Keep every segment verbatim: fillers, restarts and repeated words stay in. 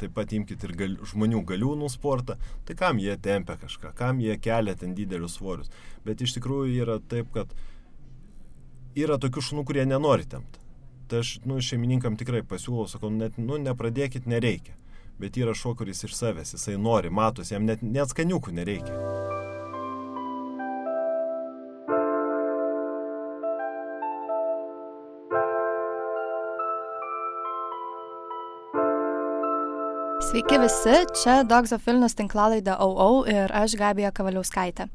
taip pat imkite ir gal, žmonių galiūnų sportą, tai kam jie tempia kažką, kam jie kelia ten didelius svorius. Bet iš tikrųjų yra taip, kad yra tokių šunų, kurie nenori tempti. Tai aš nu, šeimininkam tikrai pasiūlau, sakau, net, nu, nepradėkit, nereikia. Bet yra šuo, kuris iš savęs, jisai nori, matos, jam net, net skaniukų nereikia. Sveiki visi, čia Dogs of Vilnius tinklalaidė O O ir aš Gabija Kavaliauskaitė.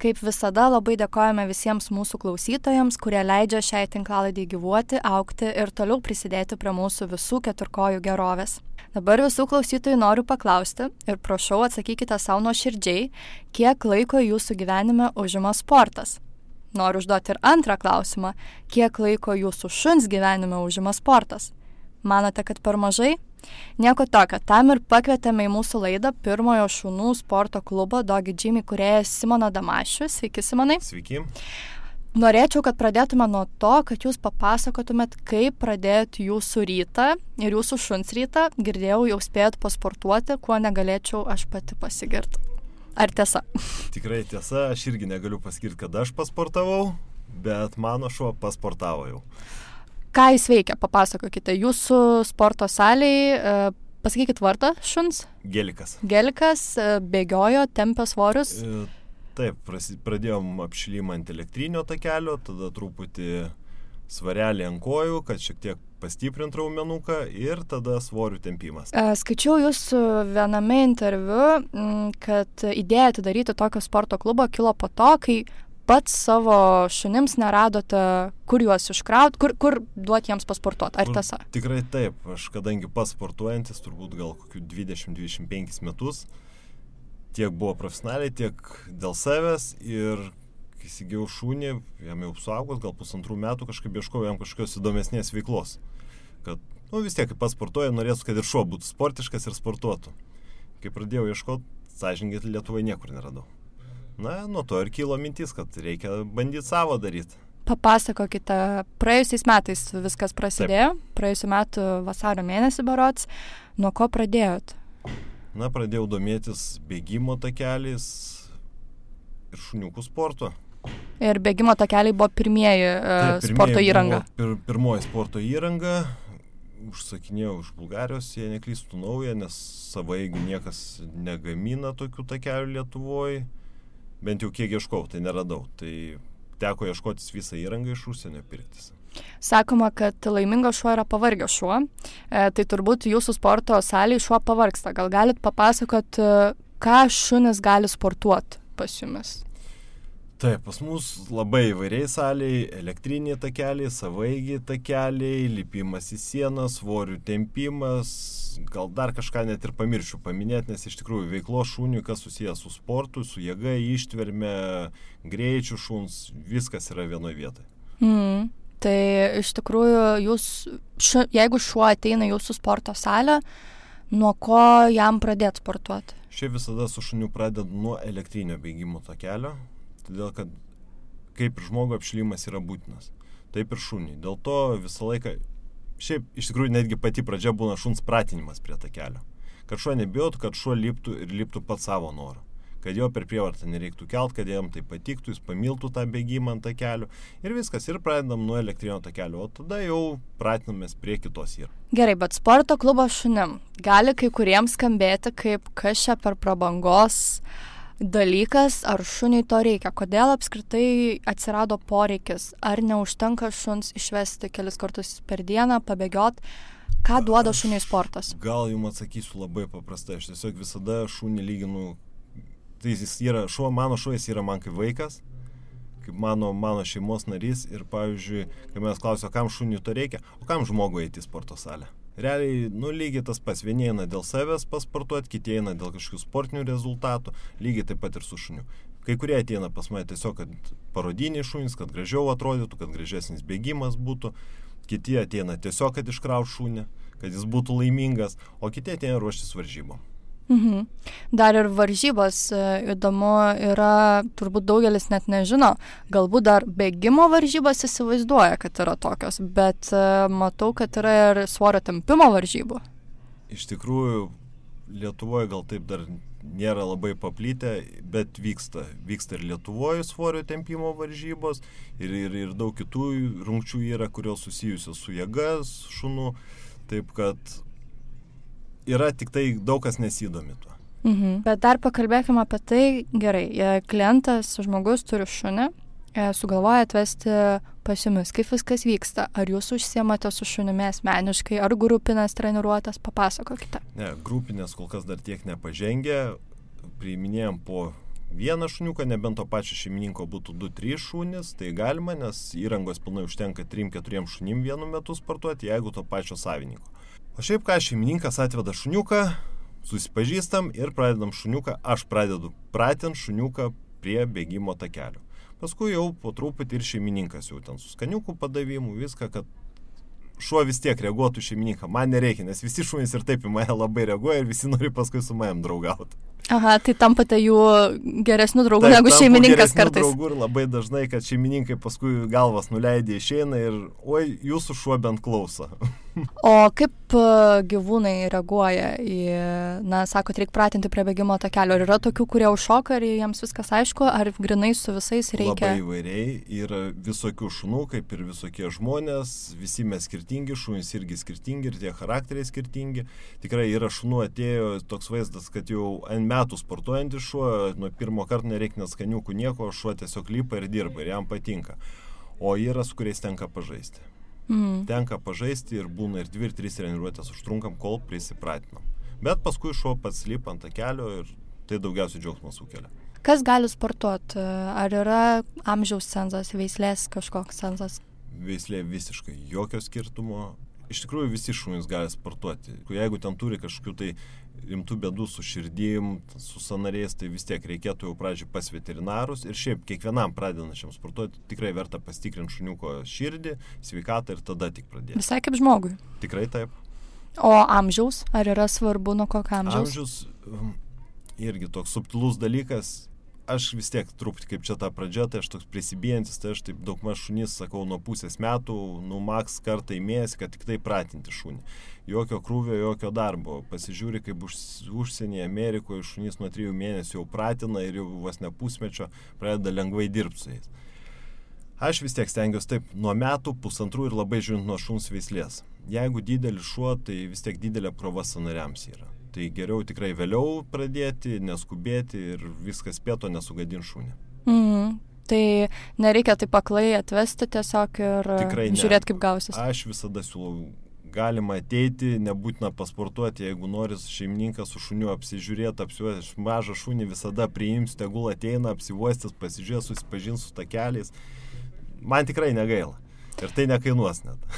Kaip visada labai dėkojame visiems mūsų klausytojams, kurie leidžia šiai tinklalaidai gyvuoti, augti ir toliau prisidėti prie mūsų visų keturkojų gerovės. Dabar visų klausytojų noriu paklausti ir prašau atsakykite savo nuoširdžiai, kiek laiko jūsų gyvenime užima sportas. Noriu užduoti ir antrą klausimą, kiek laiko jūsų šuns gyvenime užima sportas. Manote, kad per mažai? Nieko tokio, tam ir pakvietėme į mūsų laidą pirmojo šunų sporto klubo Doggy Gym įkūrėją Simoną Damašių. Sveiki, Simonai. Sveiki. Norėčiau, kad pradėtume nuo to, kad jūs papasakotumėt, kaip pradėjot jūsų rytą ir jūsų šuns rytą. Girdėjau, jau spėjot pasportuoti, kuo negalėčiau aš pati pasigirti. Ar tiesa? Tikrai tiesa, aš irgi negaliu pasakyti, kad aš pasportavau, bet mano šuo pasportavo jau. Ką jis veikia? Papasakokite. Jūsų sporto salėje, pasakykit vardą šuns? Gelikas. Gelikas, bėgiojo, tempė svorius? E, taip, pradėjom apšilimą ant elektrinio takelio, tada truputį svarelį ant kojų, kad šiek tiek pastiprint raumenuką ir tada svorių tempimas. Skaičiau jūsų viename interviu, kad idėja atidaryti tokio sporto klubo kilo po to, kai pats savo šunims neradote, kur juos iškraut, kur, kur duoti jiems pasportuoti. Ar tiesa? Tikrai taip. Aš kadangi pats sportuojantis, turbūt gal kokių dvidešimt dvidešimt penkis metus, tiek buvo profesionaliai, tiek dėl savęs ir kai įsigijau šunį, jam jau suaugus, gal pusantrų metų kažkaip ieškojau jam kažkokios įdomesnės veiklos. Kad, nu vis tiek, kai pats sportuoja, norėtų, kad ir šuo būtų sportiškas ir sportuotų. Kai pradėjau ieškoti, sąžiningai Lietuvoje niekur neradau. Na, nuo to ir kilo mintis, kad reikia bandyti savo daryti. Papasakokite, praėjusiais metais viskas prasidėjo, Taip. Praėjusiu metu vasario mėnesį berods, nuo ko pradėjot? Na, pradėjau domėtis bėgimo takeliais ir šuniukų sporto. Ir bėgimo takeliai buvo pirmieji Taip, sporto pirmieji įranga? Pir, pirmoji sporto įranga, užsakinėjau iš Bulgarijos, jie neklystų naują, nes savaigių niekas negamina tokių takelių Lietuvoje. Bent jau kiek ieškau, tai neradau. Tai teko ieškotis visą įrangą iš užsienio pirktis. Sakoma, kad laimingas šuo yra pavargęs šuo. E, tai turbūt jūsų sporto salėje šuo pavargsta. Gal galit papasakot, ką šunis gali sportuoti pas jumis? Taip, pas mus labai įvairiai salėje, elektriniai takeliai, savaigiai takeliai, lipimas į sieną, svorių tempimas, gal dar kažką net ir pamiršiu paminėti, nes iš tikrųjų veiklos šuniui, kas susijęs su sportu, su jėga, ištverme, greičiu šuns, viskas yra vienoje vietoje. Mm, tai iš tikrųjų, jūs, šu, jeigu šuo ateina į jūsų sporto salę, nuo ko jam pradėti sportuoti? Šiaip visada su šuniu pradedu nuo elektrinio bėgimo takelio. Todėl, kad kaip ir žmogo apšilimas yra būtinas, taip ir šuniui. Dėl to visą laiką, šiaip iš tikrųjų netgi pati pradžia būna šuns pratinimas prie takelio. Kad šuo nebijotų, kad šuo liptų ir liptų pat savo norą. Kad jo per prievartą nereiktų kelt, kad jam tai patiktų, jis pamiltų tą bėgimą ant takelio. Ir viskas, ir pradedam nuo elektrinio takelio, o tada jau pratinamės prie kitos įrangos. Gerai, bet sporto klubo šunim gali kai kuriems skambėti kaip kas čia per prabangos dalykas, ar šuniui to reikia? Kodėl apskritai atsirado poreikis? Ar neužtenka šuns išvesti kelis kartus per dieną, pabėgiot? Ką duoda šuniui sportas? Gal jums atsakysiu labai paprastai. Aš tiesiog visada šunį lyginu. Tai jis yra, šuo, mano šuo jis yra man kaip vaikas, kaip mano, mano šeimos narys. Ir pavyzdžiui, kai mes klausia, kam šuniui to reikia, o kam žmogui eiti į sporto salę? Realiai, nu, lygiai tas pas, vieni eina dėl savęs pasportuoti, kiti eina dėl kažkokių sportinių rezultatų, lygiai taip pat ir su šuniu. Kai kurie ateina pas mane tiesiog, kad parodiniai šunys, kad gražiau atrodytų, kad gražesnis bėgimas būtų, kiti ateina tiesiog, kad iškraut šunį, kad jis būtų laimingas, o kiti ateina ruoštis varžybom. Mhm. Dar ir varžybos įdomu yra, turbūt daugelis net nežino, galbūt dar bėgimo varžybos įsivaizduoja, kad yra tokios, bet matau, kad yra ir svorio tempimo varžybų. Iš tikrųjų, Lietuvoje gal taip dar nėra labai paplitę, bet vyksta. Vyksta ir Lietuvoje svorio tempimo varžybos ir, ir, ir daug kitų rungčių yra, kurios susijusios su jėgas šunų. Taip kad yra tik tai daug kas nesidomi tuo. Mhm. Bet dar pakalbėkime apie tai, gerai, klientas, žmogus turi šunį, sugalvoja atvesti pas jumis. Kaip viskas vyksta? Ar jūs užsiemate su šunimi asmeniškai, ar grupinės treniruotės? Papasakokite. Ne, grupinės kol kas dar tiek nepažengė. Priiminėjom po vieną šuniuką, nebent to pačio šeimininko būtų du trys šunys, tai galima, nes įrangos pilnai užtenka trim keturi šunim vienu metu sportuoti, jeigu to pačio savininko. O šiaip ką, šeimininkas atveda šuniuką, susipažįstam ir pradedam šuniuką, aš pradedu pratinti šuniuką prie bėgimo takelio. Paskui jau po truputį ir šeimininkas jau ten su skaniukų padavimu, viską, kad šuo vis tiek reaguotų šeimininką. Man nereikia, nes visi šunys ir taip į mane labai reaguoja ir visi nori paskui su manim draugauti. Aha, tai tampate jų geresnių draugų taip, negu šeimininkas kartais. Draugų ir labai dažnai, kad šeimininkai paskui galvas nuleidė išeina ir oi, jūsų šuo bent klauso. O kaip gyvūnai reaguoja į, na, sakot, reikia pratinti prie bėgimo takelio. Ar yra tokių, kurie užšoka, ar jiems viskas aišku, ar grinai su visais reikia? Labai įvairiai. Yra visokių šunų, kaip ir visokie žmonės. Visi mes skirtingi, šunys irgi skirtingi ir tie charakteriai skirtingi. Tikrai yra šunų atėjo toks vaizdas, kad jau ant metų sportuojantis šuo, nuo pirmo karto nereikia net skaniukų nieko, šuo tiesiog lipa ir dirba ir jam patinka. O yra, su kuriais tenka pažaisti. Mm. Tenka pažaisti ir būna ir dvi ir trys treniruotės užtrunkam, kol prisipratinam. Bet paskui šuo pats lipa ant takelio ir tai daugiausiai džiaugsmo sukelia. Kas gali sportuoti? Ar yra amžiaus cenzas, veislės kažkoks cenzas? Veislė visiškai jokio skirtumo. Iš tikrųjų visi šunys gali sportuoti. Jeigu ten turi kažkokių tai rimtų bėdų su širdim, su sąnariais, tai vis tiek reikėtų jau pradžiai pas veterinarus. Ir šiaip kiekvienam pradedančiam sportuoti tikrai verta pasitikrinti šuniuko širdį, sveikatą ir tada tik pradėti. Visai kaip žmogui? Tikrai taip. O amžiaus? Ar yra svarbu nuo kokio amžiaus? Amžiaus irgi toks subtilus dalykas. Aš vis tiek truputį kaip čia ta pradžia, tai aš toks prisibijantis, tai aš taip daug maž šunys, sakau, nuo pusės metų, nu maks kartą į mėnesį, kad tik tai pratinti šunį. Jokio krūvio, jokio darbo. Pasižiūri, kaip už, užsienyje Amerikoje šunys nuo trijų mėnesių jau pratina ir jau vos ne pusmečio pradeda lengvai dirbti su jais. Aš vis tiek stengiuosi taip nuo metų, pusantrų ir labai žiūrint nuo šuns veislės. Jeigu didelis šuo, tai vis tiek didelė apkrova sąnariams yra. Tai geriau tikrai vėliau pradėti, neskubėti ir viskas spėto nesugadinti šunį. Mhm. Tai nereikia taip aklai atvesti tiesiog ir žiūrėti, kaip gausis. Aš visada siūlau, galima ateiti, nebūtina pasportuoti, jeigu nori šeimininkas su šuniu apsižiūrėti, apsiuoti, mažą šunį visada priims, tegul ateina, apsivuostis, pasižiūrės, susipažins su takeliais. Man tikrai negaila. Ir tai nekainuos net.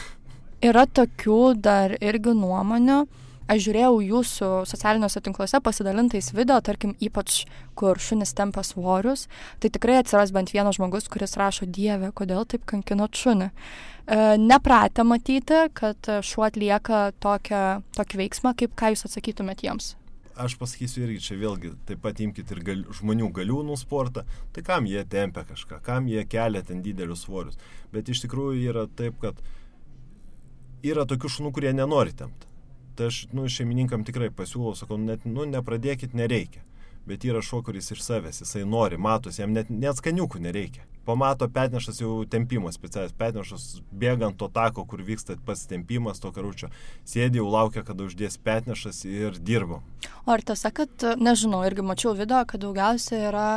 Yra tokių dar irgi nuomonių. Aš žiūrėjau jūsų socialiniuose tinkluose pasidalintais video, tarkim, ypač kur šunis tempia svorius, tai tikrai atsiras bent vienas žmogus, kuris rašo, Dieve, kodėl taip kankinot šunį. E, nepratę matyti, kad šuo atlieka tokią, tokį veiksmą, kaip ką jūs atsakytumėt jiems. Aš pasakysiu irgi, čia vėlgi, taip pat imkite ir gal, žmonių galiūnų sportą, tai kam jie tempia kažką, kam jie kelia ten didelius svorius. Bet iš tikrųjų yra taip, kad yra tokių šunų, kurie nenori tempti. Tai aš, nu, šeimininkam tikrai pasiūlau, sakau, net, nu, nepradėkit, nereikia. Bet yra šuo, kuris iš savęs, jisai nori, matos, jam net, net skaniukų nereikia. Pamato petnešas jau tempimas, specialias petnešas, bėgant to tako, kur vyksta pats tempimas, to karučio, sėdi jau laukia, kada uždės petnešas ir dirbo. O ar tiesa, kad, nežinau, irgi mačiau video, kad daugiausiai yra,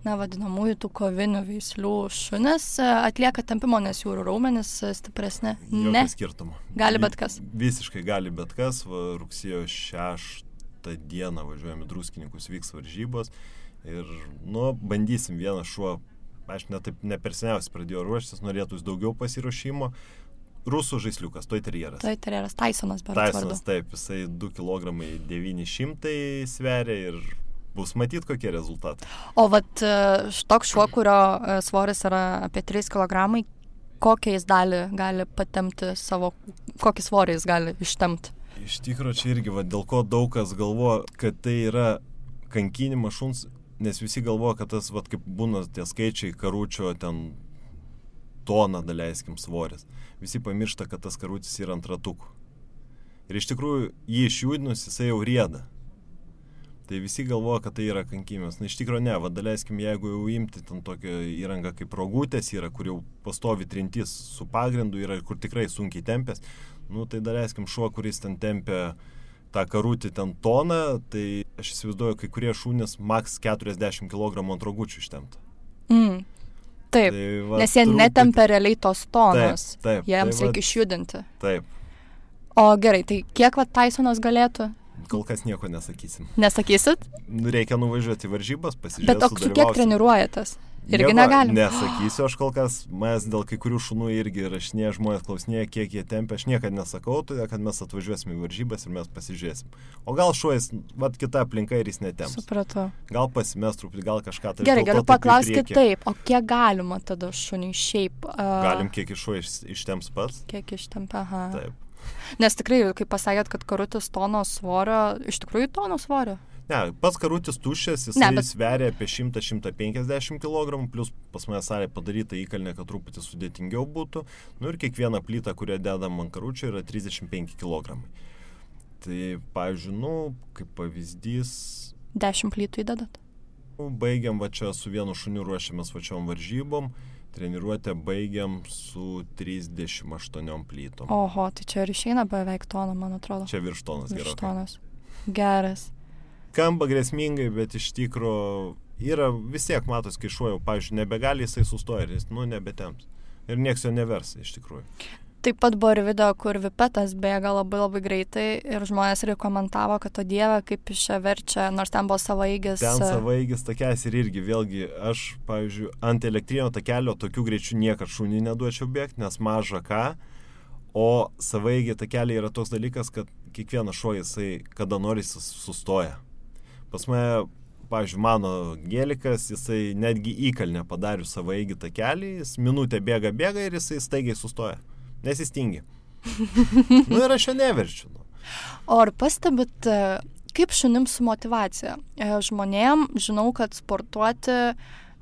na, vadinamųjų tų kovinių veislių šunis atlieka tempimo, nes jų raumenys stipresni. Ne. Jokio skirtumo. Gali bet kas. Visiškai gali bet kas. Va, rugsėjo šeštą dieną važiuojame Druskininkus, vyks varžybos ir, nu, bandysim vieną šuo. Aš ne, taip, ne per seniausiai pradėjau ruoštis, norėtųs daugiau pasiruošimo. Rusų žaisliukas, Toy Terrieras. Toy Terrieras, Tysonas, berods vardu. Tysonas, taip, jisai du kilogramai devyni šimtai sveria ir bus matyti, kokie rezultatai. O vat toks šuo, kurio svoris yra apie trys kilogramai, kokią jis dalį gali patempti savo, kokį svorį jis gali ištempti? Iš tikrųjų, čia irgi, va, dėl ko daug kas galvoja, kad tai yra kankinimas šuns, nes visi galvoja, kad tas, va, kaip būna tie skaičiai karučio, ten tona, daleiskim, svoris. Visi pamiršta, kad tas karutis yra ant ratukų. Ir iš tikrųjų, jį išjudinus, jisai jau rieda. Tai visi galvoja, kad tai yra kankimas. Na, iš tikrųjų ne, va, daleiskim, jeigu jau imti ten tokią įrangą kaip rogutės yra, kur jau pastovi trintis su pagrindu yra, kur tikrai sunkiai tempės, nu, tai daleiskim šuo, kuris ten tempia tą karutį ten toną, tai aš įsivaizduoju, kai kurie šunys maks keturiasdešimt kilogramų ant rogučių ištempta. Mm. Taip, tai, va, nes jie truputį... netempia realiai tos tonos, taip, taip, jiems tai, reikia va... išjudinti. Taip. O gerai, tai kiek va Tysonas galėtų? Kol kas nieko nesakysim. Nesakysit? Reikia nuvažiuoti į varžybas, pasižiūrėti, bet o su kiek treniruojatės? Irgi nieko negalim. Nesakysiu, aš kol kas, mes dėl kai kurių šunų irgi rašinėje, žmonės klausinėja, kiek jie tempia, aš niekada nesakau, todėl kad mes atvažiuosim į varžybas ir mes pasižiūrėsim. O gal šuojas, vat kita aplinka ir jis netemps. Supratau. Gal pasimest truputį, gal kažką tai. Gerai, galiu paklausti taip, o kiek galima tada šuniui šiaip? Uh... Galim kiek iš šuo ištemps pats? Kiek ištempia, aha. Taip. Nes tikrai, kaip pasakėt, kad karutis tono svorio, iš tikrųjų tono svorio? Ne, pats karutis tuščias, jis bet... sveria apie šimtą iki šimto penkiasdešimt kilogramų, plus pas mane salė padaryta įkalnė, kad truputį sudėtingiau būtų. Nu ir kiekviena plyta, kurią dedam ant karučio, yra trisdešimt penki kilogramai. Tai, pavyzdžiui, nu, kaip pavyzdys... dešimt plytų įdedat? Baigiam, va čia su vienu šuniu ruošiamės vačiom varžybom. Treniruotę baigiam su trisdešimt aštuoniom plytom. Oho, tai čia ir išeina beveik toną, man atrodo. Čia virš tonas gerai. Virš tonas. Geras. Skamba grėsmingai, bet iš tikro yra vis tiek matos, kai šuo jau, pavyzdžiui, nebegali, jisai sustoja ir jis, nu, nebetemps. Ir nieks jo nevers, iš tikrųjų. Taip pat buvo ir video, kur vipetas bėga labai labai greitai ir žmonės ir komentavo, kad o dieve, kaip iš čia verčia, nors ten buvo savaeigis. Ten savaeigis takelis ir irgi, vėlgi, aš, pavyzdžiui, ant elektrinio takelio tokių greičių niekad šunį neduočiau bėgti, nes maža ką, o savaeigį takeliai yra toks dalykas, kad kiekvienas šuo jisai, kada nori, jis sustoja. Pas mane, pavyzdžiui, mano gėlikas, jisai netgi įkalnę padarius savaeigį takelį, jis minutę bėga, bėga ir jisai staigiai sustoja. Nes jis tingi. Nu ir aš jo neverčiu. Nu. O ar pastebit, kaip šunim su motyvacija? Žmonėm žinau, kad sportuoti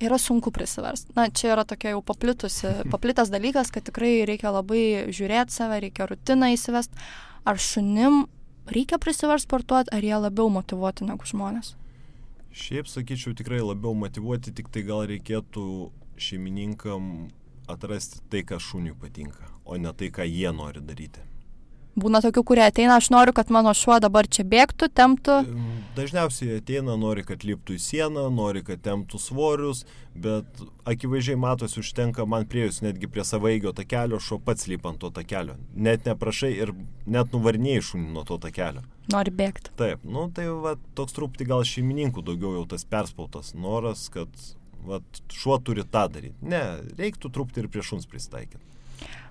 yra sunku prisiversti. Na, čia yra tokia jau paplitusi, paplitas dalykas, kad tikrai reikia labai žiūrėti save, reikia rutiną įsivesti. Ar šunim reikia prisiversti sportuoti, ar jie labiau motyvuoti negu žmonės? Šiaip sakyčiau, tikrai labiau motyvuoti, tik tai gal reikėtų šeimininkam atrasti tai, kas šuniui patinka, o ne tai, ką jie nori daryti. Būna tokių, kurie ateina, aš noriu, kad mano šuo dabar čia bėgtų, temptų. Dažniausiai ateina, nori, kad liptų į sieną, nori, kad temptų svorius, bet akivaizdžiai matosi, užtenka man priejus netgi prie savaeigio takelio, šuo pats lipa ant to takelio. Net neprašai ir net nuvarnėjai šunį nuo to takelio. Nori bėgti. Taip, nu tai va, toks truputį gal šeimininkų daugiau jau tas perspautas noras, kad vat, šuo turi tą daryti. Ne, reiktų truputį ir prie šuns prisitaikyti.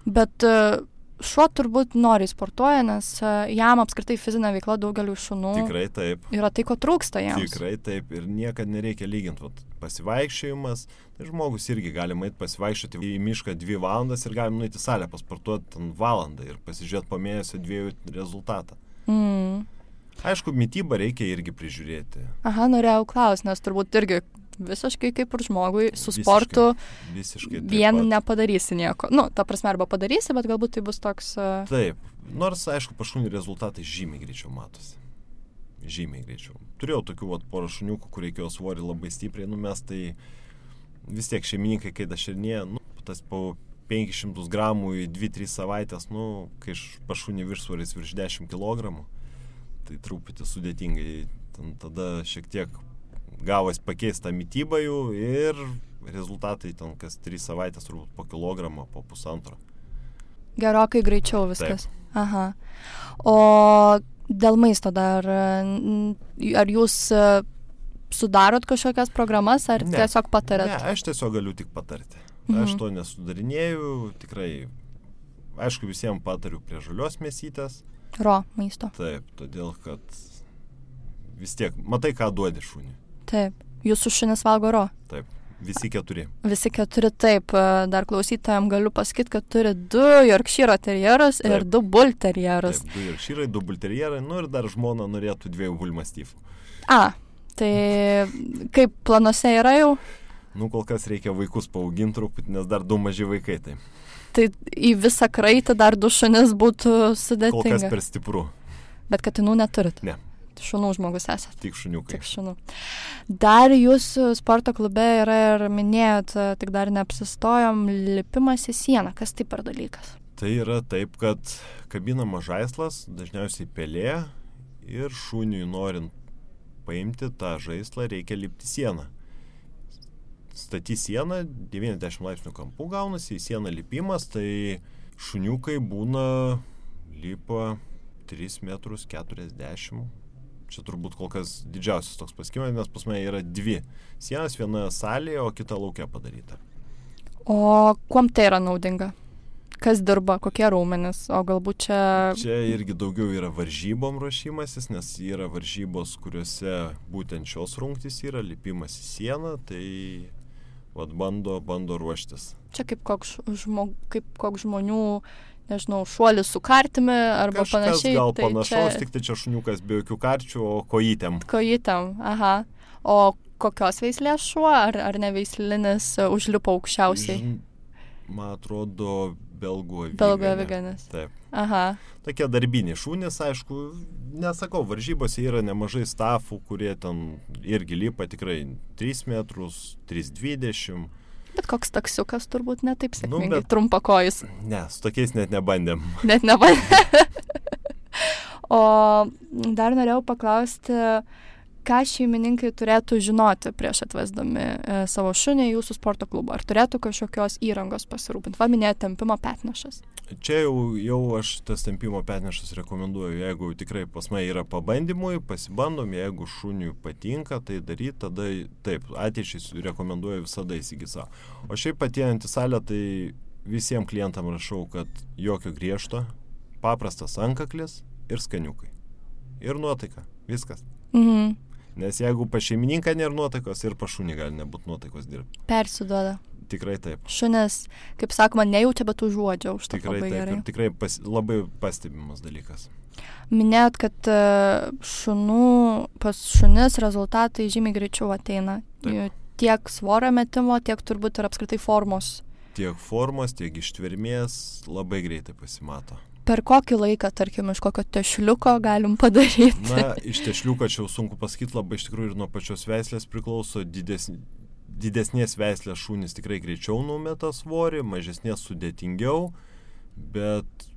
Bet šuo turbūt nori sportuoja, nes jam apskritai fizinė veikla daugeliu šunų. Tikrai taip. Yra tai, ko trūksta jiems. Tikrai taip. Ir niekad nereikia lyginti. Vat, pasivaikščiojimas, tai žmogus irgi gali eiti pasivaikščioti į mišką dvi valandas ir galim nueiti į salę pasportuoti ten valandą ir pasižiūrėti po mėnesio dviejų rezultatą. Mm. Aišku, mitybą reikia irgi prižiūrėti. Aha, norėjau klausti, nes turbūt irgi visiškai kaip ir žmogui su sportu visiškai, visiškai vien pat. Nepadarysi nieko. Nu, ta prasme, arba padarysi, bet galbūt tai bus toks... Uh... Taip. Nors, aišku, pašunių rezultatai žymiai greičiau matosi. Žymiai greičiau. Turėjau tokių vat, porą šuniukų, kur reikėjo svorį labai stipriai numest, tai vis tiek šeimininkai, kai daširnėja, nu, tas po penkis šimtus gramų į dvi tris savaitės, nu, kai pašunį viršsvoris virš dešimt kilogramų, tai truputį sudėtingai. Ten tada šiek tiek gavas pakeistą mitybą jų ir rezultatai ten kas tris savaitės turbūt po kilogramą, po pusantro. Gerokai greičiau viskas. Taip. Aha. O dėl maisto dar, ar jūs sudarot kažkokias programas, ar ne. Tiesiog patarėt? Ne, aš tiesiog galiu tik patarti. Mhm. Aš to nesudarinėjau, tikrai, aišku, visiems patariu prie žalios mėsytės. Ro maisto. Taip, todėl, kad vis tiek, matai, ką duodi šunį. Taip. Jūsų šunis valgo ro? Taip. Visi keturi. Visi keturi, taip. Dar klausytojams galiu pasakyti, kad turi du Yorkshire terjerus ir du bull terjerus. Taip, du Yorkshire, du bull terjerai, nu ir dar žmona norėtų dviejų bull mastyfų. A, tai kaip planuose yra jau? Nu, kol kas reikia vaikus paauginti truputį, nes dar du maži vaikai, tai. Tai į visą kraitį dar du šunis būtų sudėtinga. Kol kas per stipru. Bet katinų neturit? Ne. Šunų žmogus esat? Tik šuniukai. Tik šunų. Dar jūsų sporto klube yra ir minėjot, tik dar neapsistojom, lipimas į sieną. Kas tai per dalykas? Tai yra taip, kad kabinamas žaislas, dažniausiai pelė, ir šuniui norint paimti tą žaislą reikia lipti sieną. Staty sieną, devyniasdešimt laipsnių kampų gaunasi, į sieną lipimas, tai šuniukai būna lipa tris metrus keturiasdešimt. Čia turbūt kol kas didžiausias toks pasiekimas, nes pas mane yra dvi sienas, viena salėje, o kita lauke padaryta. O kuom tai yra naudinga? Kas dirba, kokie raumenys, o galbūt čia... Čia irgi daugiau yra varžybom ruošimasis, nes yra varžybos, kuriuose būtent šios rungtys yra, lipimas į sieną, tai vat, bando, bando ruoštis. Čia kaip koks, žmog, kaip koks žmonių, nežinau, šuolis su kartimi arba Kažkas panašiai. Gal tai panašaus, čia... tik tai čia šuniukas be jokių karčių, o kojytėm. Kojytėm, aha. O kokios veislės šuo, ar, ar neveislinis užlipo aukščiausiai? Žin, man atrodo, belgų aviganis. Belgų aviganis. Taip. Aha. Tokie darbiniai šunys, aišku, nesakau, varžybose yra nemažai stafų, kurie ten irgi lipa tikrai tris metrus, trys dvidešimt. Bet koks taksiukas turbūt netaip sėkmingai, Nu, bet- trumpakojus. Ne, su tokiais net nebandėm. Net nebandė. O dar norėjau paklausti, ką šeimininkai turėtų žinoti prieš atvesdami e, savo šunį į jūsų sporto klubą? Ar turėtų kažkokios įrangos pasirūpinti? Va, minėjo tempimo petnešas. Čia jau, jau aš tas tempimo petnešas rekomenduoju, jeigu tikrai pas mane yra pabandymui, pasibandom, jeigu šuniui patinka tai daryti, tada taip, ateičiai rekomenduoju visada įsigyti savo. O šiaip atėjant į salę, tai visiems klientam rašau, kad jokio griežto, paprastas antkaklis ir skaniukai. Ir nuotaika, viskas. Mhm. Nes jeigu pa šeimininką nėra nuotaikos, ir pa šunį gali nebūti nuotaikos dirbti. Persiduoda. Tikrai taip. Šunis, kaip sakoma, nejaučia, bet užuodžia už tą Tikrai labai taip. gerai. Ir tikrai pas, labai pastebimas dalykas. Minėjot, kad e, šunų, pas šunis rezultatai žymiai greičiau ateina. Taip. Tiek svorio metimo, tiek turbūt ir apskritai formos. Tiek formos, tiek ištvermės labai greitai pasimato. Per kokį laiką, tarkim, iš kokio tešliuko galim padaryti? Na, iš tešliuko čia jau sunku pasakyti, labai iš tikrųjų ir nuo pačios veislės priklauso. Didesnė, didesnės veislės šunys tikrai greičiau numeta svorį, mažesnės sudėtingiau, bet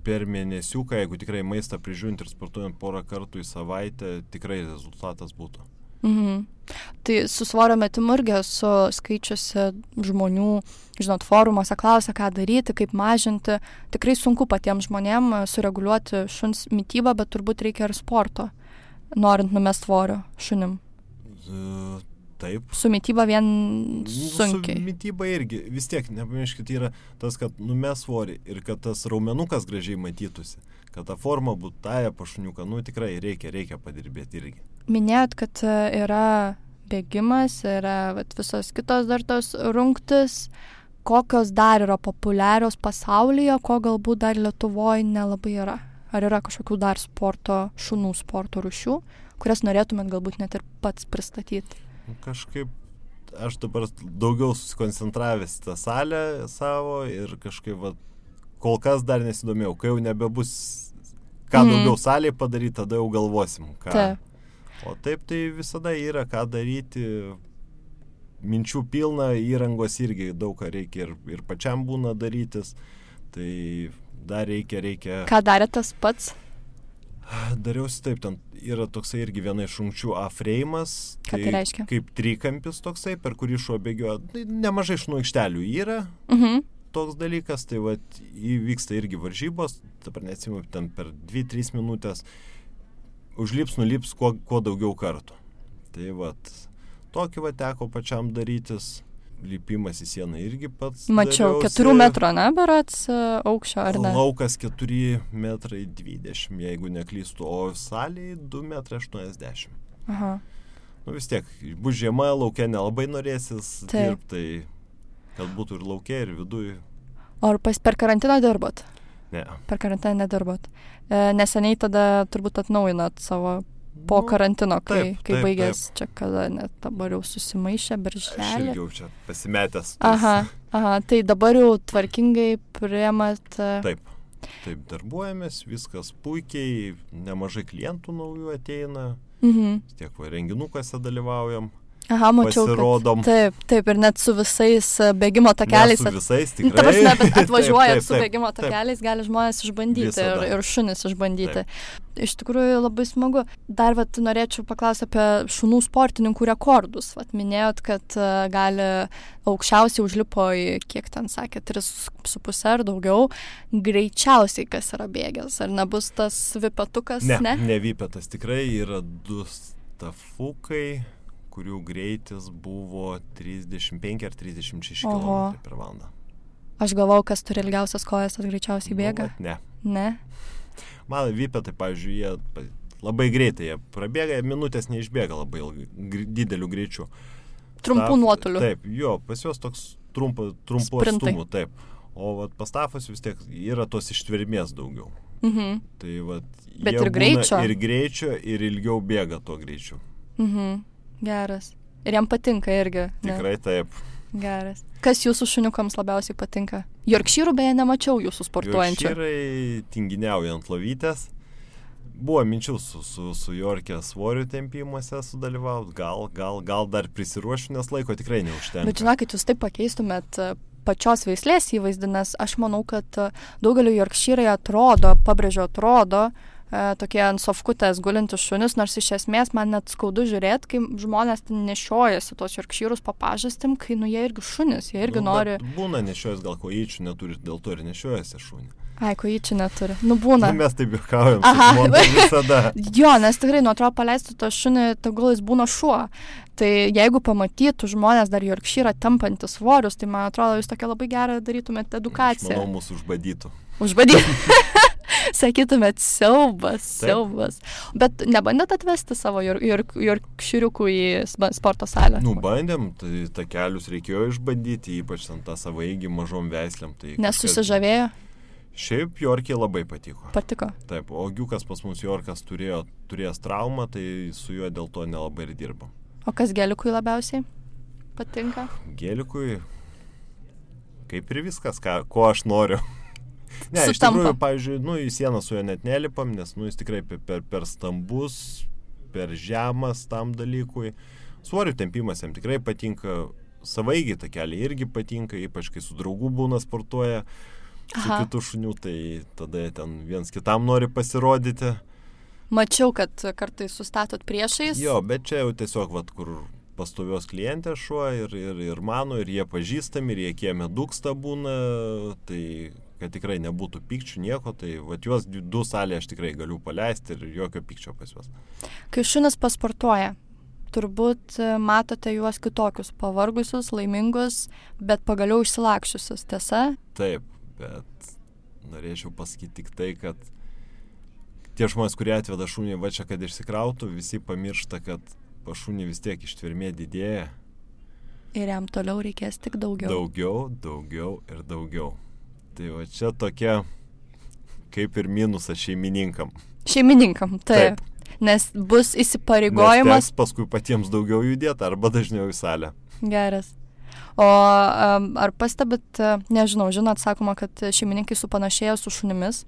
per mėnesiuką, jeigu tikrai maistą prižiūrint ir sportuojant porą kartų į savaitę, tikrai rezultatas būtų. Mhm. Tai su svorio metimu irgi esu skaičiusi žmonių, žinot, forumuose klausia, ką daryti, kaip mažinti. Tikrai sunku patiems žmonėm sureguliuoti šuns mitybą, bet turbūt reikia ir sporto, norint numest svorio šunim. Z- Taip. Su mityba vien sunkiai. Su mityba irgi. Vis tiek, nepamirškit, yra tas, kad numes svorį ir kad tas raumenukas gražiai matytųsi, kad ta forma būtų taja pašuniuką, nu tikrai reikia, reikia padirbėti irgi. Minėjot, kad yra bėgimas, yra vat, visos kitos dar tos rungtis. Kokios dar yra populiarios pasaulyje, ko galbūt dar Lietuvoje nelabai yra? Ar yra kažkokių dar sporto, šunų sporto rūšių, kurias norėtumėt galbūt net ir pats pristatyti? Kažkaip aš dabar daugiau susikoncentravęs į tą salę savo ir kažkaip va, kol kas dar nesidomėjau, kai jau nebebus ką Mhm. daugiau salėje padaryti, tada jau galvosim, ką. Taip. O taip tai visada yra ką daryti, minčių pilna, įrangos irgi daug ką reikia ir, ir pačiam būna darytis, tai dar reikia, reikia... Ką darė tas pats? Dariausi taip, ten yra toksai irgi viena iš rungčių A-freimas, Ką tai reiškia? Kaip trikampis toksai, per kurį šuo bėgioja. Tai nemažai šunų aikštelių yra Mhm. toks dalykas, tai vat įvyksta irgi varžybos, dabar neatsimu, ten per dvi tris minutės užlips, nulips kuo, kuo daugiau kartų. Tai vat, tokį vat teko pačiam darytis, lipimas į sieną irgi pats Mačiau, dariausi. keturių metrų, ne, berats aukščio, ar ne? Laukas keturi metrai dvidešimt, jeigu neklystu, o salėje du metrai aštuoniasdešimt. Aha. Nu vis tiek, bus žiema, lauke nelabai norėsis Taip. dirbti, tai kad būtų ir lauke, ir viduje. O ar pas, per karantiną dirbot? Ne. Per karantiną nedirbot. E, neseniai tada turbūt atnaujinat savo po karantino, kai, taip, kai taip, baigės čia, kada net dabar jau susimaišė Aš birželį. irgi jau čia pasimetęs. tais- Aha, aha, tai dabar jau tvarkingai priėmat. e, Taip, Taip, darbuojamės, viskas puikiai, nemažai klientų naujų ateina, Mhm. tiek va, renginukuose dalyvaujam. Aha, mačiau, Pasirodom. kad taip, taip, ir net su visais e, bėgimo takeliais. Ne su visais, Nu, tikrai. ta prasme, bet atvažiuojat Taip, taip, su taip, bėgimo taip. takeliais, gali žmonės išbandyti ir, Visada. ir šunis išbandyti. Iš tikrųjų labai smagu. Dar vat, norėčiau paklausti apie šunų sportininkų rekordus. Vat, minėjot, kad uh, gali aukščiausiai užlipo į, kiek ten sakė, tris su pusę ar daugiau. Greičiausiai kas yra bėgęs. Ar nebus tas vipetukas? Ne, ne? ne vipetas. Tikrai yra du stafukai, kurių greitis buvo trisdešimt penki ar trisdešimt šeši kilometrai per valandą. Aš galvau, kas turi ilgiausias kojas, tas greičiausiai bėga. Nu, ne. Ne? Man vipetai, pavyzdžiui, jie labai greitai, jie prabėga, minutės neišbėga labai ilgai, gr- dideliu greičiu. Trumpų Staf- nuotolių. Taip, jo, pas juos toks trumpo, trumpo Sprintai. atstumų, taip. O vat, pas stafus vis tiek yra tos ištvermės daugiau. Mhm. Tai vat, Bet jie ir būna greičio. Ir greičio, ir ilgiau bėga tuo greičiu. Mhm. Geras. Ir jam patinka irgi. ne? Tikrai taip. Geras. Kas jūsų šuniukams labiausiai patinka? Jorkšyrų beje nemačiau jūsų sportuojančių. Jorkšyrai tinginiauja ant lovytės. Buvo minčių su, su, su Jorkė svorių tempimuose sudalyvauti. Gal, gal, gal dar prisiruošiu, nes laiko tikrai neužtenka. Bet žinokit, jūs taip pakeistumėt e, pačios veislės įvaizdį, nes aš manau, kad e, daugeliu Jorkšyrai atrodo, pabrėžiu atrodo, e, tokie ant sofkutės gulintis šunis, nors iš esmės man net skaudu žiūrėti, kai žmonės ten nešiojasi tos Jorkšyrus po pažastim, kai nu jie irgi šunis, jie irgi Nu, nori... bet Būna nešiojas, gal kojyčių neturi, dėl to ir nešiojasi šunį. Ai, kojyčių neturi. Nu būna. Nu, mes taip juokaujam, Aha. su žmona visada. Jo, nes tikrai nuo atrodo paleistų to šunį, tegul jis būna šuo. Tai jeigu pamatytų žmonės dar Jorkšyrą tempantys svorius, tai man atrodo, jūs tokia labai gerą darytumėte Aš edukaciją. manau, mūsų užbadytų. Užbadyti. Sakytumėt, siaubas, Taip. siaubas. Bet nebandėt atvesti savo jor, jor, Jorkšyriukų į sba- sporto salę? Nu, bandėm, tai takelius reikėjo išbandyti, ypač ant tą savaigį mažom veislėm. Tai Nes kažkas- susižavėjo? Šiaip Jorkiai labai patiko. Patiko. Taip, o Giukas pas mus Jorkas turėjo, turėjęs traumą, tai su juo dėl to nelabai ir dirbam. O kas gelikui labiausiai patinka? Gėlikui, kaip ir viskas, ką, ko aš noriu. Ne, iš Sutampa. tikrųjų, pavyzdžiui, nu, į sieną su juo net nelipam, nes, nu, jis tikrai per, per, per stambus, per žemas tam dalykui. Svorių tempimas jam tikrai patinka, savaigiai takeliai irgi patinka, ypač kai su draugu būna sportuoja, su Aha. kitu šuniu, tai tada jie ten viens kitam nori pasirodyti. Mačiau, kad kartais sustatot priešais. Jo, bet čia jau tiesiog, vat, kur pastovios klientė šuo ir, ir, ir mano, ir jie pažįstami, ir jie kieme dūksta būna, tai kad tikrai nebūtų pykčių nieko, tai vat juos du salėje aš tikrai galiu paleisti ir jokio pykčio pas juos. Kai šunis pasportuoja, turbūt e, matote juos kitokius, pavargusius, laimingus, bet pagaliau išsilakščiusius, tiesa? Taip, bet norėčiau pasakyti tik tai, kad tie žmonės, kurie atveda šunį va čia, kad išsikrautų, visi pamiršta, kad pa šunį vis tiek ištvermė didėja. Ir jam toliau reikės tik daugiau. Daugiau, daugiau ir daugiau. Tai va čia tokia kaip ir minusas šeimininkam. Šeimininkam, taip. Taip. Nes bus Nes įsipareigojimas. teks paskui patiems daugiau judėti arba dažniau į salę. Geras. O um, ar pastebit, e, nežinau, žinot, sakoma, kad šeimininkai supanašėja su šunimis.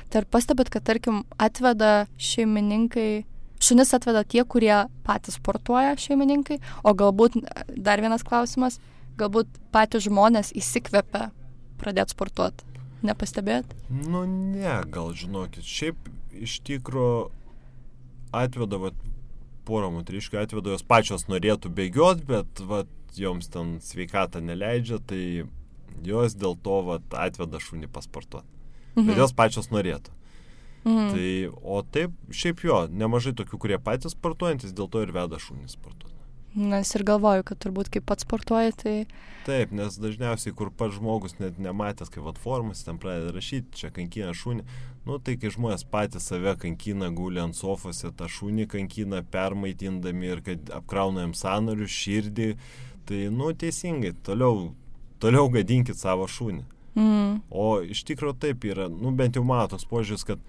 Tai ar pastebit, kad, tarkim, atveda šeimininkai, šunis atveda tie, kurie patys sportuoja šeimininkai, o galbūt, dar vienas klausimas, galbūt patys žmonės įsikvepia pradėti sportuoti. Nepastebėt? Nu ne, gal žinokit, šiaip iš tikro atveda, vat, porą moteriškių atveda, jos pačios norėtų bėgioti, bet vat, joms ten sveikata neleidžia, tai jos dėl to vat, atveda šunį pasportuoti. Mhm. Bet jos pačios norėtų. Mhm. Tai, o taip, šiaip jo, nemažai tokių, kurie patys sportuojantis, dėl to ir veda šunį sportuoti. Nes ir galvoju, kad turbūt kaip pats sportuoja, tai... Taip, nes dažniausiai, kur pats žmogus net nematęs, kaip vat formas, ten pradeda rašyti, čia kankina šunį. Nu, tai kai žmonės patys save kankina, guli ant sofose, tą šunį kankina, permaitindami ir kad apkrauna jam sąnarius, širdį, tai, nu, teisingai, toliau, toliau gadinkit savo šunį. Mm. O iš tikrųjų taip yra, nu, bent jau mano toks požiūris, kad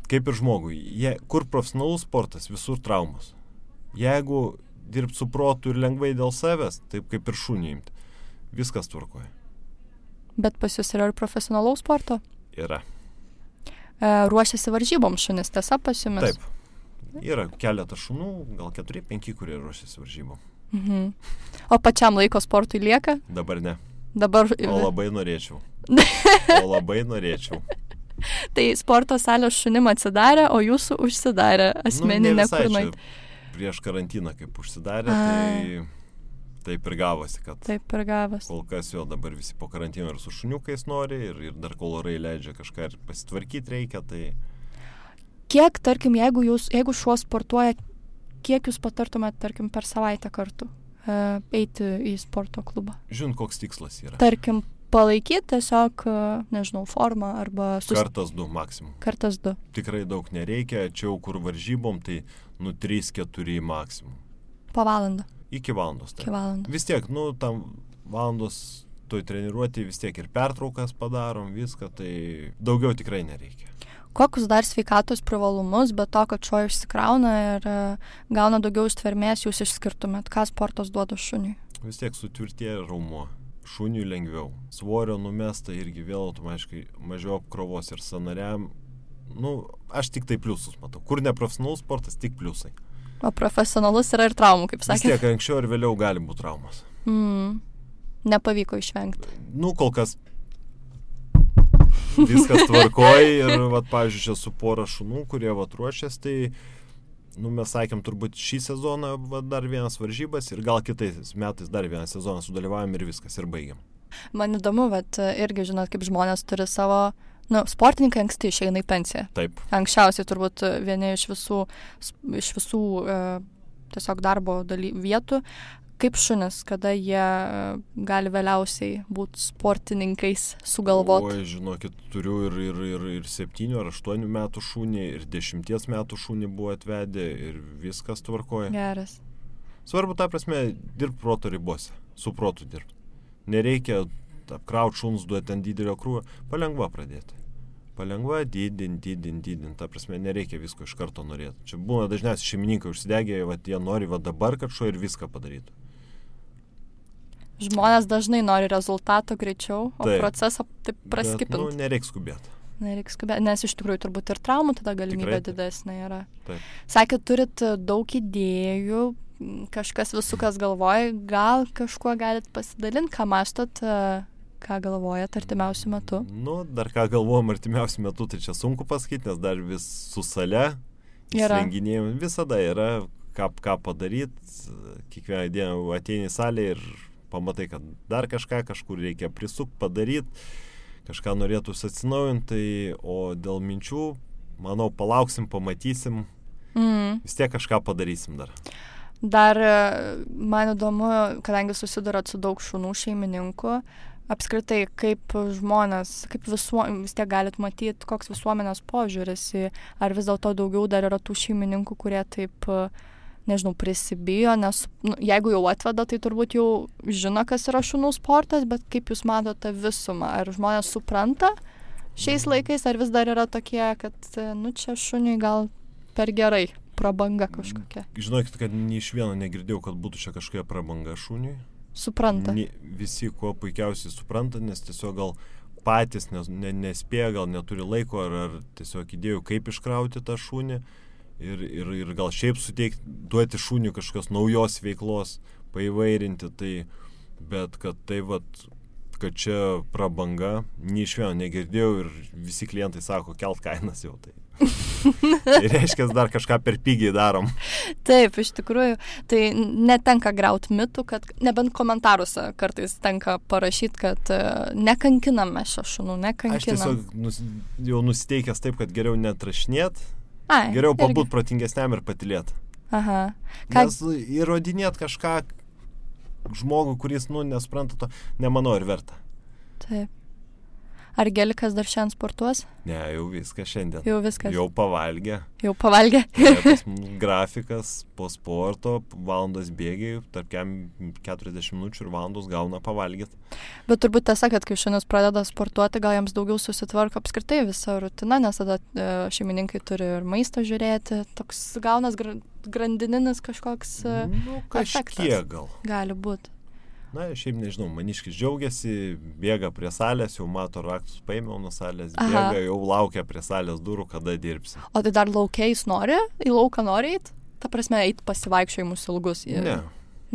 kaip ir žmogui, jie, kur profesionalus sportas, visur traumos. Jeigu dirbti su protu ir lengvai dėl savęs, taip kaip ir šunį imti, viskas tvarkoja. Bet pas jūs yra ir profesionalaus sporto? Yra. ruošiasi varžybom šunis, tiesa pas jumis? Taip. Yra keletą šunų, gal keturi, penki, kurie ruošiasi varžybom. Mhm. O pačiam laiko sportui lieka? Dabar ne. Dabar... O labai norėčiau. O labai norėčiau. Tai sporto salės šunim atsidarė, o jūsų užsidarė asmeninė nu, kurnai. Prieš karantiną kaip užsidarė, A. tai taip ir gavosi, kad taip ir gavosi. Kol kas vėl dabar visi po karantino ir su šuniukais nori ir, ir dar kol orai leidžia kažką ir pasitvarkyti reikia, tai... Kiek, tarkim, jeigu, jūs, jeigu šuo sportuoja, kiek jūs patartumėt, tarkim, per savaitę kartu uh, eiti į sporto klubą? Žinot, koks tikslas yra. Tarkim, palaikyti tiesiog, uh, nežinau, formą arba... Sus... Kartas du maksimum. Kartas du. Tikrai daug nereikia, čia jau kur varžybom, tai nu trys keturi maksimum. Po valandą. Iki valandos. Tai. Iki valandos. Vis tiek, nu, tam valandos toj treniruotėj vis tiek ir pertraukas padarom, viską, tai daugiau tikrai nereikia. Kokius dar sveikatos privalumus, be to, kad šuo išsikrauna ir uh, gauna daugiau ištvermės, jūs išskirtumėt? Ką sportas duoda šuniui? Vis tiek sutvirtėja raumuo. Šuniui lengviau. Svorio numesta irgi vėl automatiškai mažiau apkrovos ir sąnariam. Nu, aš tik tai pliusus matau. Kur neprofesionalus sportas, tik pliusai. O profesionalus yra ir traumų, kaip sakė. Vis tiek anksčiau ir vėliau gali būti traumas. Mm. Nepavyko išvengti. Nu, kol kas viskas tvarkoj ir, vat, pavyzdžiui, čia su pora šunų, kurie, vat, ruošias, tai, nu, mes sakėm, turbūt šį sezoną, vat, dar vienas varžybas ir gal kitais metais dar vieną sezoną sudalyvavom ir viskas, ir baigiam. Man įdomu, vat, irgi, žinot, kaip žmonės turi savo, nu, sportininkai anksti išeina į pensiją. Taip. Anksčiausiai turbūt vieni iš visų, iš visų e, tiesiog darbo daly, vietų. Kaip šunis, kada jie gali vėliausiai būti sportininkais sugalvoti? Oi, žinokit, turiu ir, ir, ir, ir septynių ar aštuonių metų šunį, ir dešimties metų šunį buvo atvedę, ir viskas tvarkoja. Geras. Svarbu, ta prasme, dirbti proto ribose, su protu dirbti. Nereikia apkrauti šuns, duoti ant didelio krūvio, palengva pradėti. Palengva, didint, didint, didint. Ta prasme, nereikia visko iš karto norėti. Čia būna dažniausiai šeimininkai užsidegė, vat, jie nori va dabar, kad šuo ir viską padarytų. Žmonės dažnai nori rezultato greičiau, o taip, procesą taip praskipinti. Nu, nereikia skubėti. Nereikia skubėti, nes iš tikrųjų turbūt ir traumų tada galimybė Tikrai, didesnė yra. Taip. Sakėt, turit daug idėjų, kažkas visukas galvoja, gal kažkuo galit pasidalinti, ką mąstot, ką galvojat artimiausiu metu? Nu, dar ką galvojam artimiausiu metu, tai čia sunku pasakyti, nes dar vis su sale, įsirenginėjim, visada yra ką, ką padaryti, kiekvieną dieną ateini į salę ir pamatai, kad dar kažką kažkur reikia prisukti, padaryti, kažką norėtųsi atsinaujinti, tai, o dėl minčių, manau, palauksim, pamatysim, mm. vis tiek kažką padarysim dar. Dar man įdomu, kadangi susidurot su daug šunų šeimininkų, apskritai, kaip žmonės, kaip visuo, vis tiek galit matyti, koks visuomenės požiūris, ar vis dėlto daugiau dar yra tų šeimininkų, kurie taip, nežinau, prisibijo, nes nu, jeigu jau atveda, tai turbūt jau žino, kas yra šunų sportas, bet kaip jūs matote visumą, ar žmonės supranta šiais laikais, ar vis dar yra tokie, kad, nu, čia šuniui gal per gerai, prabanga kažkokia. Žinokit, kad nei iš vieno negirdėjau, kad būtų čia kažkokia prabanga šuniui. Supranta. Ni, visi kuo puikiausiai supranta, nes tiesiog gal patys nes, ne, nespėja, gal neturi laiko, ar, ar tiesiog idėjų, kaip iškrauti tą šunį. Ir, ir, ir gal šiaip suteikti, duoti šuniui kažkokios naujos veiklos, paįvairinti, tai, bet kad tai vat, kad čia prabanga, nei iš vieno negirdėjau ir visi klientai sako, kelt kainas jau tai. Tai reiškia, dar kažką per pigiai darom. Taip, iš tikrųjų, tai netenka grauti mitų, kad nebent komentaruose kartais tenka parašyti, kad nekankinam mes šio šunų, nekankinam. Aš tiesiog nus, jau nusiteikęs taip, kad geriau netrašinėt, Ai, geriau pabūt protingesniam ir patilėt. Aha. Ką... Nes įrodinėt kažką žmogui, kuris, nu, nespranta to, nemanau ir verta. Taip. Ar Gelikas dar šiandien sportuos? Ne, jau viskas šiandien. Jau viskas. Jau pavalgė. Jau pavalgė. Grafikas po sporto, valandos bėgiai, tarp keturiasdešimt minučių ir valandos gauna pavalgyti. Bet turbūt tiesa, kad kai šunys pradeda sportuoti, gal jiems daugiau susitvarko apskritai visą rutiną, nes tada šeimininkai turi ir maistą žiūrėti. Toks gaunas grandininis kažkoks nu, kažkiek efektas. Gal. Gali būti. Na, šiaip nežinau, maniškis džiaugiasi, bėga prie salės, jau mato raktus, paėmiau nuo salės, bėga, Aha. jau laukia prie salės durų, kada dirbsi. O tai dar laukiais nori? Į lauką nori eit? Ta prasme, eit pasivaikščiojimus ilgus? Ir... Ne.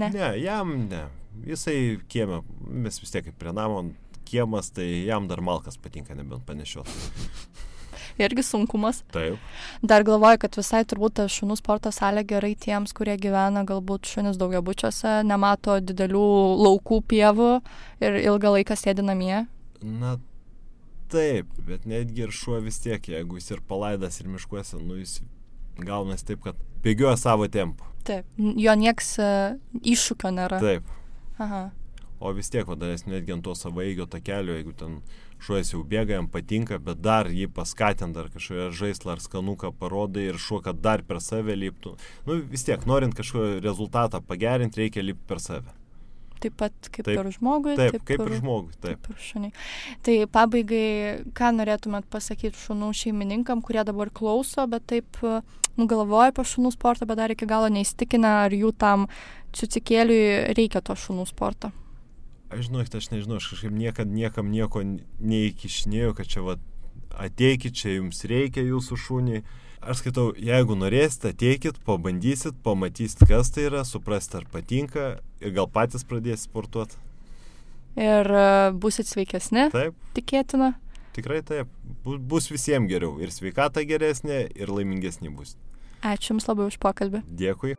ne. Ne, jam ne. Jisai kieme, mes vis tiek kaip prie namo kiemas, tai jam dar malkas patinka, nebent panešiot. Irgi sunkumas. Taip. Dar galvoju, kad visai turbūt ta šunų sporto salė gerai tiems, kurie gyvena galbūt šunis daugiabučiuose, nemato didelių laukų, pievų ir ilgą laiką sėdi namie. Na taip, bet netgi ir šuo vis tiek, jeigu jis ir palaidas ir miškuose, nu jis gaunasi taip, kad bėgioja savo tempu. Taip, jo nieks uh, iššūkio nėra. Taip. Aha. O vis tiek, vadalės, netgi ant to savaeigio takelio, jeigu ten šuojas jau bėga, jam patinka, bet dar jį paskatint, dar kažkoje žaislą ar skanuką parodai ir šuo, kad dar per save liptų. Nu vis tiek, norint kažkokio rezultatą pagerinti, reikia lipti per save. Taip pat kaip taip, ir žmogui. Taip, taip kaip ir, ir žmogui, taip. Kaip ir šuniai. Tai pabaigai, ką norėtumėt pasakyti šunų šeimininkam, kurie dabar klauso, bet taip nugalvoja apie šunų sportą, bet dar iki galo neįstikinę, ar jų tam ciucikėliui reikia to šunų sporto? Aš žinau, aš nežinau, aš kažkaip niekad niekam nieko neįkišinėjau, kad čia va, ateikit, čia jums reikia jūsų šunį. Aš skaitau, jeigu norėsite, ateikit, pabandysit, pamatysit, kas tai yra, suprasit, ar patinka ir gal patys pradėsit sportuoti. Ir uh, busit sveikesni? Taip. Tikėtina? Tikrai taip. Bus visiems geriau. Ir sveikata geresnė, ir laimingesnė bus. Ačiū Jums labai už pokalbį. Dėkui.